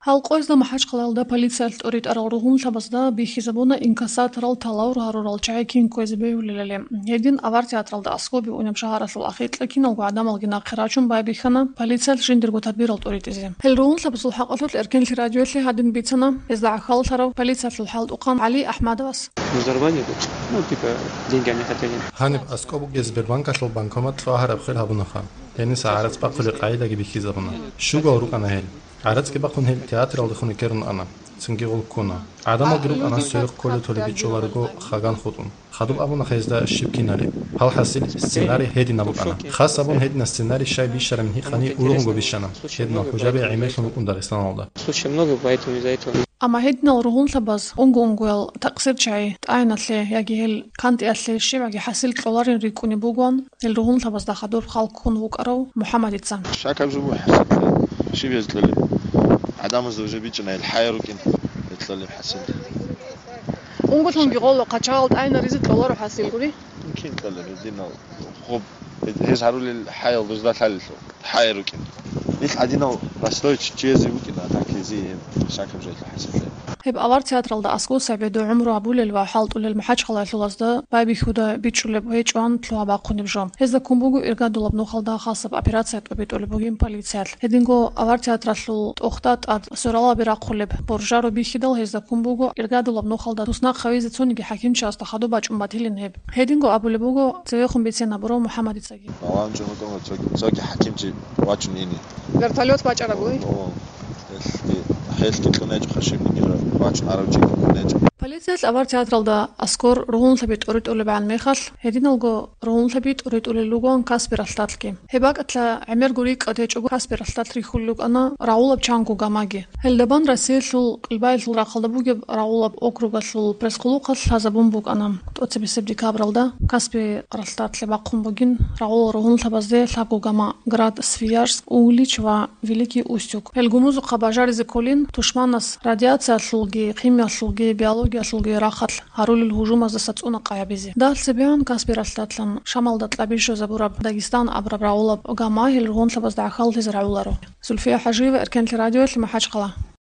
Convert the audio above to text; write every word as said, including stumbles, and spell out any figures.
Гьал къоязда МахӀачхъалаялда полициялъ тӀоритӀарал ругьунлъабазда бихьизабуна инкассаторал талавру гьарурал чагӀи кин кквезе бегьулелали. Гьедин авар театралда аскоби унеб шагьаралъул ахиркьа киналго гӀадамалги нахъе рачун байбихьана полициялъ жиндирго тадбирал тӀоритӀизе. Гьел ругьунлъабазул хӀакъалъулъ Эркенлъи радиоялъе гьадин бицана гьезда гӀахьаллъарав полициялъул хӀалтӀухъан ГӀали АхӀмадовас. Ну, взорвание тут. Ну, типа, деньги они хотели. Гьаниб аскӀоб бугеб Сбербанкалъул банкомат лъугӀараб хир гьабунаха. Гьениса гӀарац бахъулеб къагӀидаги бихьизабуна. Щугал рукӀана гьел. ГӀарацги бахъун гьел театралдехун рекерун ана. Цинги гъол ккуна. ГӀадамалги рукӀана сверухъ кколев толеб бичӀчӀуларого хаган хутӀун. Хадуб абуна гьезда щиб кинали. Гьал хӀасил сценарий гьединаб букӀана. Хас абун гьединаб сценарий щай бищарабин гьикъани, ургъунго бищана. Гьединал хӀужаби гӀемерлъун рукӀун Дагъистаналда. Случай много, поэтому из-за этого. Амма гьединал ругьунлъабаз унго-унгоял такъсирчагӀи тӀагӀиналъе яги гьел кантӀиялъе щибгӀаги хӀасил кьоларин рикӀкӀунеб бугоан гьел ругьунлъабазда хадуб хал ккун вукӀарав МухӀаммадица. Шакаб жо буго хӀасиллъи, щиб гьез кьолеб? ГӀадамазда уже бичӀчӀана гьел хӀаял рукӀин гьел кьолеб хӀасил. Унголъунги гъоло хъачагъал тӀагӀинаризе кьоларо хӀасил гури? Кин кьолеб гьединал? Гъоб, гьез гьарулел хӀаял дозда лъалелъул. ХӀай рукӀин. Ил гьадинал простой чи-, чиязе букӀина, а так гьезие гьеб шакаб жо хӀасиллъи. Гьеб авар театралда аскӀов СагӀидов гӀумру гьабулел ва хӀалтӀулел МахӀачхъалаялъулазда байбихьуда бичӀчӀулеб гьечӀоан лъугьа-бахъунеб жо. Гьезда ккун буго иргадулаб нухалда хасаб операция тӀобитӀулеб бугин полициялъ. Гьединго авар театралъул тӀохда тӀад соралаби рахъулеб боржаро бихьидал, гьезда ккун буго иргадулаб нухалда туснахъ гьавизе цониги хӀакимчиясда хадуб бачӀун батилин гьеб. Гьединго абулеб буго цевехун бицен гьабурав МухӀаммадицаги. Балагьун чӀун вукӀун ва цоги, цоги хӀакимчи вачун ини. Вертолёт бачӀараб бугин? О, о, гьелъги, гьелъги кьун гьечӀо, хашибниги вачун арав чи кьун гьечӀо. Полициялъ авар театралда аскӀор ругьунлъаби тӀоритӀулебгӀан мехалъ, гьединалго ругьунлъаби тӀоритӀулел ругоан Каспи ралъдалъги. Гьеб бакӀалда гӀемерго рикӀкӀад гьечӀого Каспи ралъдалъ рихьулел рукӀана рагъулаб чанго гамаги. Гьелдабан Россиялъул Кьилбаялъул рахъалда бугеб рагъулаб округалъул пресс-къулухъалъ лъазабун букӀана. ТӀоцебесеб декабралда Каспи ралъдалъе бахъун бугин рагъулал ругьунлъабазде лъабго гама Град, Свияжск, Углич ва Великий Устюг. Гьел гумузухъа бажаризе кколин тушманас радиациялъулги, химиялъулги, биологиялъулги рахъалъ гьарулел гьужумаздаса цӀуна къай гьабизе. Дагь цебегӀан Каспи ралъдалъан Шамалда кьаби щвезабураб Дагестан абураб рагъулаб гама гьел ругьунлъабазда гӀахьаллъизе рагӀуларо. Зульфия ХӀажиева, Эркенлъи радиоялъ, МахӀачхъала.